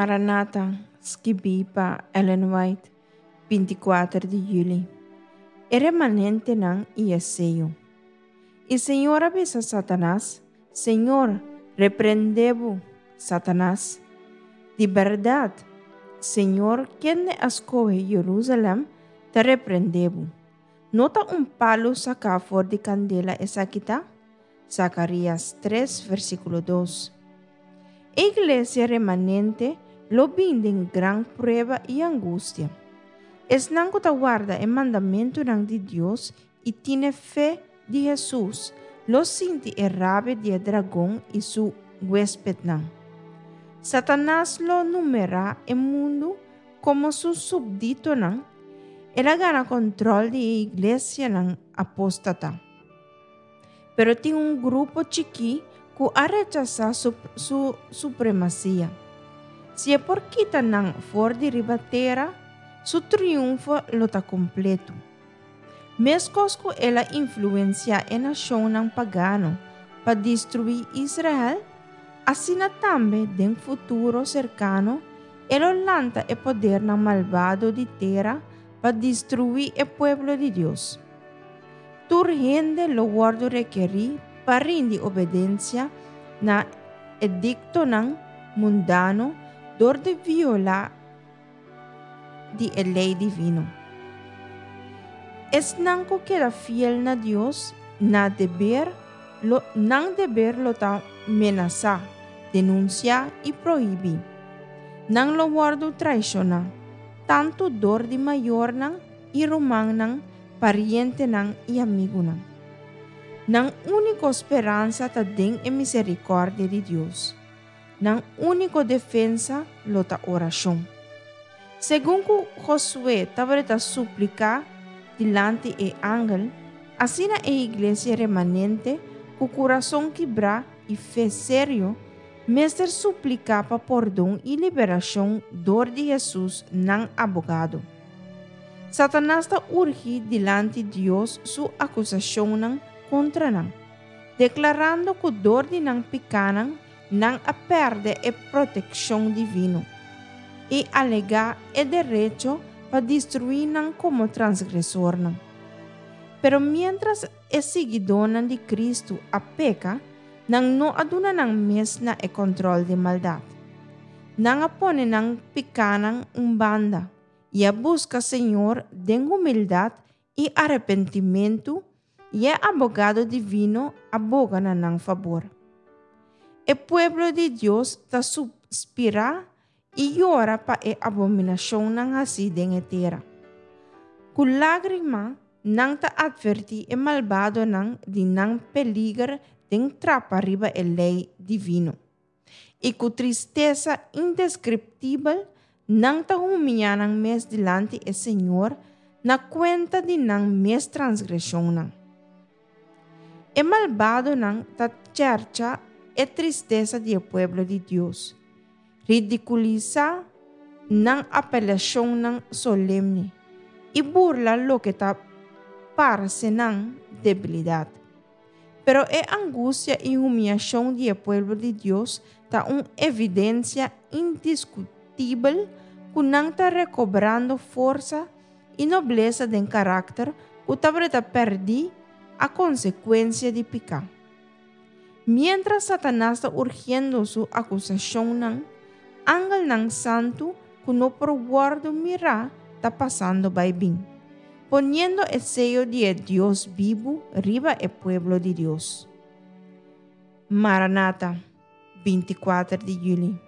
Maranata, skibí pa Ellen White, 24 di yüli. E remanentenan i e seyo. I Señor a bisa Satanas, Señor reprendé bo, Satanas. Di bèrdat, Señor, kende a skohe Jerusalèm, ta reprendé bo. No ta un palu saká for di kandela esaki ta? Zakarías tres, versíkulo dos. E iglesia remanente lo bin den gran prueba i angustia. Esnan ku ta warda e mandamentunan di Dios i tine fe di Hesus lo sinti e rabia di e dragon i su huéspetnan. Satanas lo numerá e mundu komo su supditonan, el a gana kòntròl di e iglesianan apóstata. Pero tin un grupo chikí ku a rechasá su su supremasia. Si e por kita nan for di riba tera, su triunfo lo ta kompletu. Meskos ku el a influensiá e nashonnan pagano pa destruí Israel, asina tambe den futuro serkano e lo lanta e podernan malbado di tera pa destruí e pueblo di Dios. Tur hende lo wòrdu rekerí pa rindi obedensia na ediktonan mundano dor di violá di e lei divino. Esnan ku keda fiel na Dios na deber lo nan deber lo ta menasá, denunsiá i prohibí. Nan lo wòrdu traishoná, tantu dor di mayornan i rumannan, parientenan i amigunan. Nan úniko speransa ta den e miserikòrdia di Dios. Nan úniko defensa lo ta orashon. Segun ku Josué tabata supliká dilanti e angel, asina e iglesia remanente ku kurason kibrá i fe serio mester supliká pa pordon i liberashon dor di Hesus nan abogado. Satanas ta urgi dilanti Dios su akusashonnan kontra nan, deklarando ku dor di nan pikánan nan a pèrdè e protekshon divino, i alegá e derecho pa destruí nan komo transgresornan. Pero miéntras e siguidónan di Kristu a peka, nan no a duna nan mes na e kòntròl di maldat. Nan a pone nan pikánan un banda i a buska Señor den humildat i arepentimentu, i e Abogado Divino a boga na nan fabor. E pueblo di Dios ta suspirá i yora pa e abominashonnan hasí den e tera. Ku lágrima nan ta atvertí e malbadonan di nan peliger den trapa riba e lei divino. I ku tristesa indeskriptibel nan ta humiá nan mes dilanti e Señor na kuenta di nan mes transgreshonnan. E malbadonan ta chèrcha e tristesa di e pueblo di Dios, ridikulisá nan apelashonnan solemne i burla loke ta parse nan debilidat. Pero e angustia i humiashon di e pueblo di Dios ta un evidensia indiskutibel ku nan ta rekobrando forsa i noblesa den karakter ku tabata pèrdí a konsekuensia di piká. Miéntras Satanas ta urgiendo su akusashonnan, angelnan santu ku no por wòrdu mirá ta pasando bai bin, poniendo e seyo di e Dios bibu riba e pueblo di Dios. Maranata, 24 di yüli.